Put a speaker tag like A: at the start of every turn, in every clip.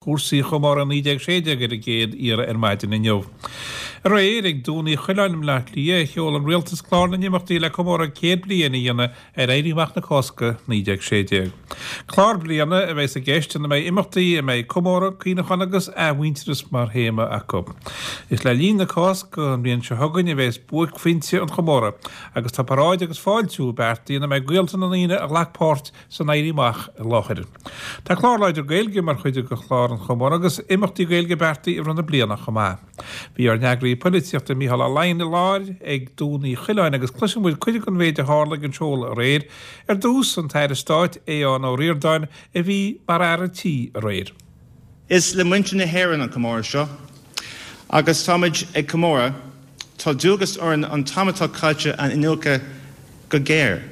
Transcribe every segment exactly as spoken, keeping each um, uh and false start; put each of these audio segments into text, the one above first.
A: Cúrsaí chomóradh naoi déag sé déag ar an gcéad iarraidh ar maidin inniu. Aréir ag Dún Uí Choileáin i mBleá Cliath a sheol an Rialtas clár na n-imeachtaí le comóradh céad bliain a dhéanamh ar Éirí Amach na Cásca naoi déag sé déag. Clár bliana a bheas i gceist ina mbeidh imeachtaí a mbeidh comóradh, cuimhneachán agus athmhuintearas mar théama acu. Is le linn na Cásca an bhliain seo chugainn a bheas buaicphointe an chomóraidh agus tá paráid agus fáiltiú beartaithe ina mbeidh gaolta na ndaoine a ghlac páirt san Éirí Amach i láthair. Tá clár láidir Gaeilge mar chuid de chlár an chomóraidh agus imeachtaí Gaeilge beartaithe i rith na bliana chomh maith. Bhí ár n-eagraí polaitíochta Mícheál Ó Laighin i láthair ag Dún Uí Choileáin agus cloisfidh muid cuid den mhéid a tharla ag an seoladh aréir. Ar dtús, an tAire Stáit Aodhán Ó Ríordáin a bhí mar fhear an tí aréir.
B: Is le muintir na hÉireann an comóradh seo agus táimid ag comóradh, tá dualgas orainn an t-am atá caite a iniúchadh go géar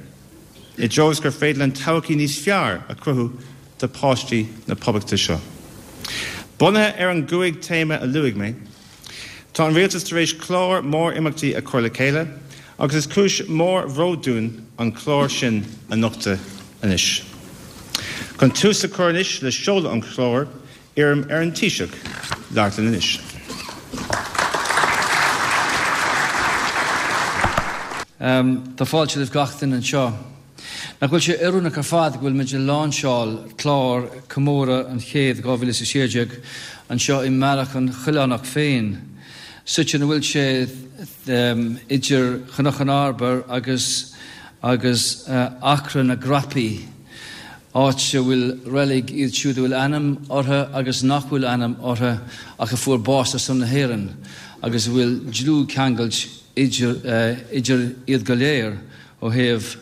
B: i dtreo is gur féidir linn todhchaí níos fearr a chruthú do pháistí na Poblachta seo. Bunaithe ar an gcúig téama a luaigh mé, tá an Rialtas tar éis clár mór imeachtaí a chur le chéile agus is cúis mhór bhróid dúinn an clár sin a nochtadh anois. Chun tús a chur anois le seoladh an chláir, iarraim ar an Taoiseach labhairt linn anois.
C: Tá fáilte roimh gach duine anseo. Nach bhfuil sé oiriúnach ar fad go bhfuil muid ag láinseáil clár Comóradh an Chéid dhá mhíle is a sé déag anseo i mBealach an Choileánach féin, suite ina bhfuil sé idir Chnoc an Arbair agus agus Acra na gCrapaí, áit a bhfuil reilig iad siúd a bhfuil ainm orthu agus nach bhfuil ainm orthu ach a fuair bás ar son na hÉireann agus a bhfuil dlúthcheangailt idir iad go léir ó thaobh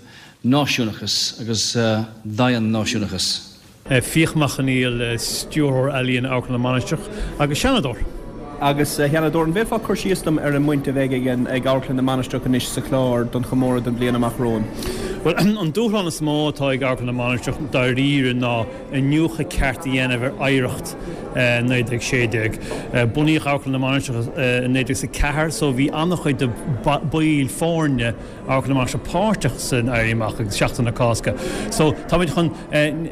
C: náisiúnachas agus daon-náisiúnachas.
D: Fiach Mac Conghail, Stiúrthóir Ealaíon Amharclann na Mainistreach agus Seanadóir.
E: Agus, a Sheanadóir, an bhféadfá cur síos dom ar an mbaint a bheidh ag Amharclann na Mainistreach anois sa chlár don chomóradh don bhliain amach romhainn?
D: Bhuel, an dúshlán is mó atá ag Amharclann na Mainistreach dáiríre ná iniúchadh ceart a dhéanamh ar oidhreacht naoi déag sé déag. Bunaíodh Amharclann na Mainistreach i naoi déag is a ceathair so bhí an-chuid de baill foirne Amharclann na Mainistreach páirteach san Éirí Amach agus Seachtain na Cásca. So táimid chun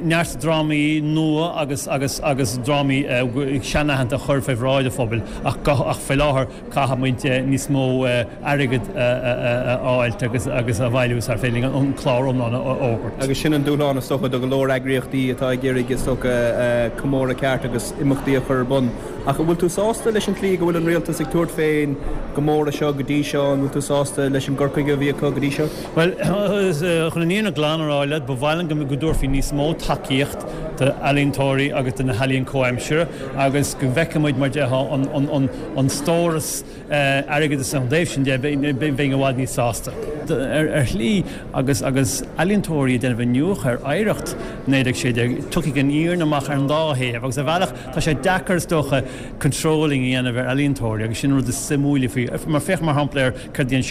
D: neart drámaí nua agus agus agus drámaí seanaitheanta a chur fé bhráid an phobail ach ach faoi láthair caithfimid níos mó airgead a fháilt agus agus a bhailiú sar féidir linn an clár iomlán a fhógairt.
E: Agus sin an dúshlán is dócha do go leor eagraíochtaí atá ag iarraidh is dócha comóradh ceart agus imeachtaí a chur ar bun. Ach an bhfuil tú sásta leis an tslí go bhfuil an rialtas ag tabhairt fén gcomóradh seo go dtí seo? An bhfuil tú sásta leis an gcur chuige a bhí acu go dtí seo?
D: Bhuel, chun an fhírinne glan a rá leat, ba mhaith liom go dtabharfaí níos mó tacaíocht d'ealaíontóirí agus do na healaíon comhaimseartha agus go bhfeicfidh muid, mar déarfá, an stóras airgeadais ón dtaobh sin de, bheinn i bhfad níos sásta. Ar shlí, agus agus ealaíontóirí ag déanamh iniúchadh ar oidhreacht naoi déag sé déag, tiocfaidh an fhírinne amach ar an dá thaobh agus ar bhealach tá sé deacair is dócha controlling a dhéanamh ar ealaíontóirí agus sin an rud is suimiúla faoi. Mar féach mar shampla ar céard a dhein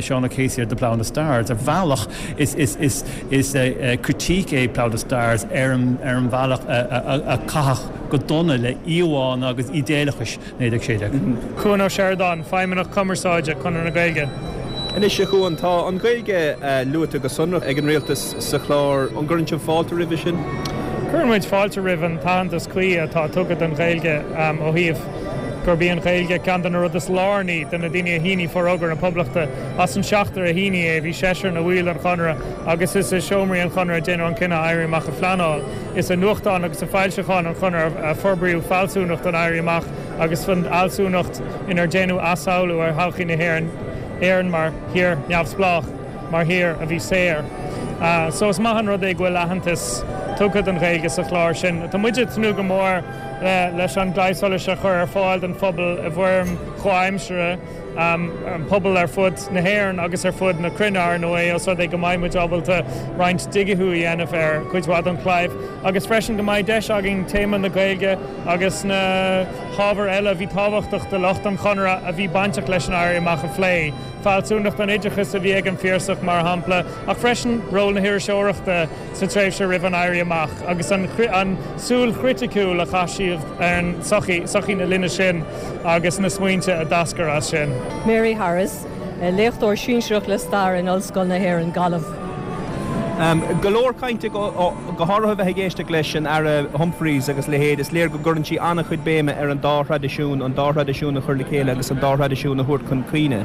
D: Seán O'Casey ar The Plough and the Stars, ar bhealach is is is is critique é Plough and the Stars ar an ar an bhealach a a caitheadh go dona le íomhánna agus ídéalachais naoi déag sé déag.
F: Cuan Ó Seireadáin, Feidhmeannach Cumarsáide, Conradh na Gaeilge.
E: Anois, a Chuan, tá an Ghaeilge luaite go sonrach ag an Rialtas sa chlár. An gcuireann sibh fáilte roimhe sin?
F: Cuireann muid fáilte roimh an t-aitheantas cuí atá tugtha don Ghaeilge ó thaobh gurb í an Ghaeilge ceann de na rudaí is lárnaí do na daoine a shínigh Forógra na Poblachta. As an seachtar a shínigh é, bhí seisear ina bhaill den Chonradh agus is i seomraí an Chonartha a déanadh an cinneadh Éirí Amach a phleanáil. Is i nuachtáin agus i bhfoilseacháin an Chonartha a forbraíodh fealsúnacht an Éirí Amach agus an fhealsúnacht inar déanadh athshamhlú ar thodhchaí na hÉireann, Éireann mar thír neamhspleách, mar thír a bhí saor. So is maith an rud é go bhfuil aitheantas tugtha don Ghaeilge sa chlár sin. Tá muid ag tnúth go mór leis an gclaí solais a chur ar fáil don phobal i bhfoirm chomhaimseartha, an pobal ar fud na hÉireann agus ar fud na cruinne, ar ndóigh, os rud é go mbeidh muid ábalta roinnt digithiú a dhéanamh ar chuid mhaith den chlaíomh agus freisin go mbeidh deis againn téama na Gaeilge agus na hábhair eile a bhí tábhachtach do lucht an Chonartha a bhí bainteach leis an Éirí Amach a phlé, fealsúnacht an oideachais a bhí ag an Phiarsach, mar shampla, ach freisin ról na hiriseoireachta sa tréimhse roimh an Éirí Amach agus an tsúil chriticiúil a chaith siad ar an tsochaí, sochaí na linne sin agus na smaointe a d'eascair as sin.
G: Mary Harris, Léachtóir Sinsearach le Stair in Ollscoil na hÉireann, Gaillimh.
E: Go leor cainte, go háirithe bheith ag éisteacht leis an Aire Humphreys agus leithéid, is léir go gcuireann sí an-chuid béime ar an dá thraidisiún, an dá thraidisiún a chur le chéile agus an dá thraidisiún a thabhairt chun cuimhne.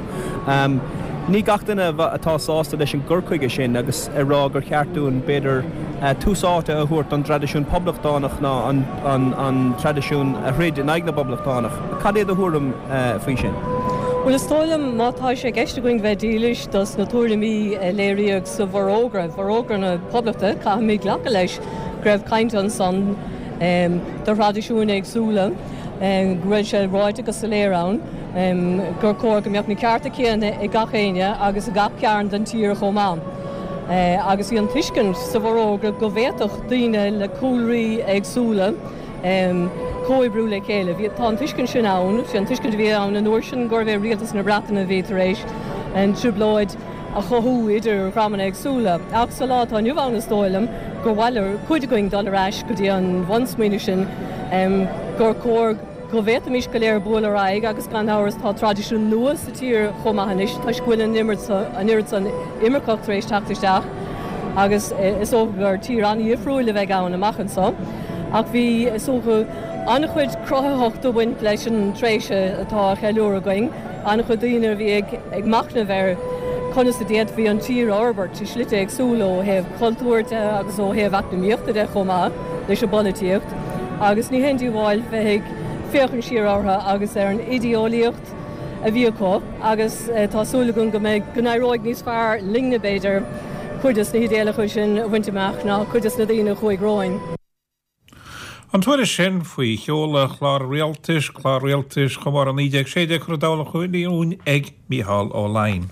E: Ní gach duine atá sásta leis an gcur chuige sin agus ag rá gur cheart dúinn, b'fhéidir, tús áite a thabhairt don dtraidisiún poblachtánach ná an traidisiún a throid in aghaidh na bpoblachtánach. Cad é do thuairim faoi sin?
G: Bhuel, is dóigh liom, má tá sé i gceist againn bheith dílis dos na tuairimí a léiríodh sa bhForógra, Forógra na Poblachta, caithfimid glacadh leis go raibh caint ansan do thraidisiúin éagsúla, go raibh sé ráite go soiléir ann gur chóir go mbeadh na cearta céanna ag gach éinne agus i gach cearn den tír chomh maith. Agus bhí an tuiscint sa bhForógra go bhféadfadh daoine le cúlraí éagsúla comhoibriú le chéile. Bhí, tá an tuiscint sin ann, sé an tuiscint a bhí ann an uair sin gurbh é rialtas na Breataine a bhí tar éis an trioblóid a chothú idir dhreamanna éagsúla. Ach sa lá atá inniu ann is dóigh liom gur mhaith le cuid againn dul ar ais go dtí an bhunsmaoineamh sin gur chóir go bhféadfaimis go léir bualadh ar aghaidh agus gan amhras tá traidisiún nua sa tír chomh maith anois toisc go bhfuil an oiread san imirceach tar éis teacht isteach agus is dócha gur tír an-dhifriúil a bheidh ann amach anseo. Ach bhí, is dócha, an-chuid cruthaitheachta ag baint leis an tréimhse atá á cheiliúradh againn, an-chuid daoine a bhí ag machnamh ar conas a d'fhéadfaí an tír a fhorbairt i slite éagsúla ó thaobh cultúir de agus ó thaobh eacnamaíochta de chomh maith leis an bpolaitíocht agus ní haon díobháil bheith ag féachaint siar orthu agus ar an idéeolaíocht a bhí acu agus tá súil agam go mbeidh, go n-éireoidh níos fearr linne b'fhéidir cuid des na hidéalacha sin a bhaint amach ná cuid des na daoine a chuaigh romhainn.
A: An tuairisc sin faoi sheoladh chlár rialtais, clár rialtais chomóradh naoi déag sé déag curtha i dtoll a chéile ag Mícheál Ó Laighin.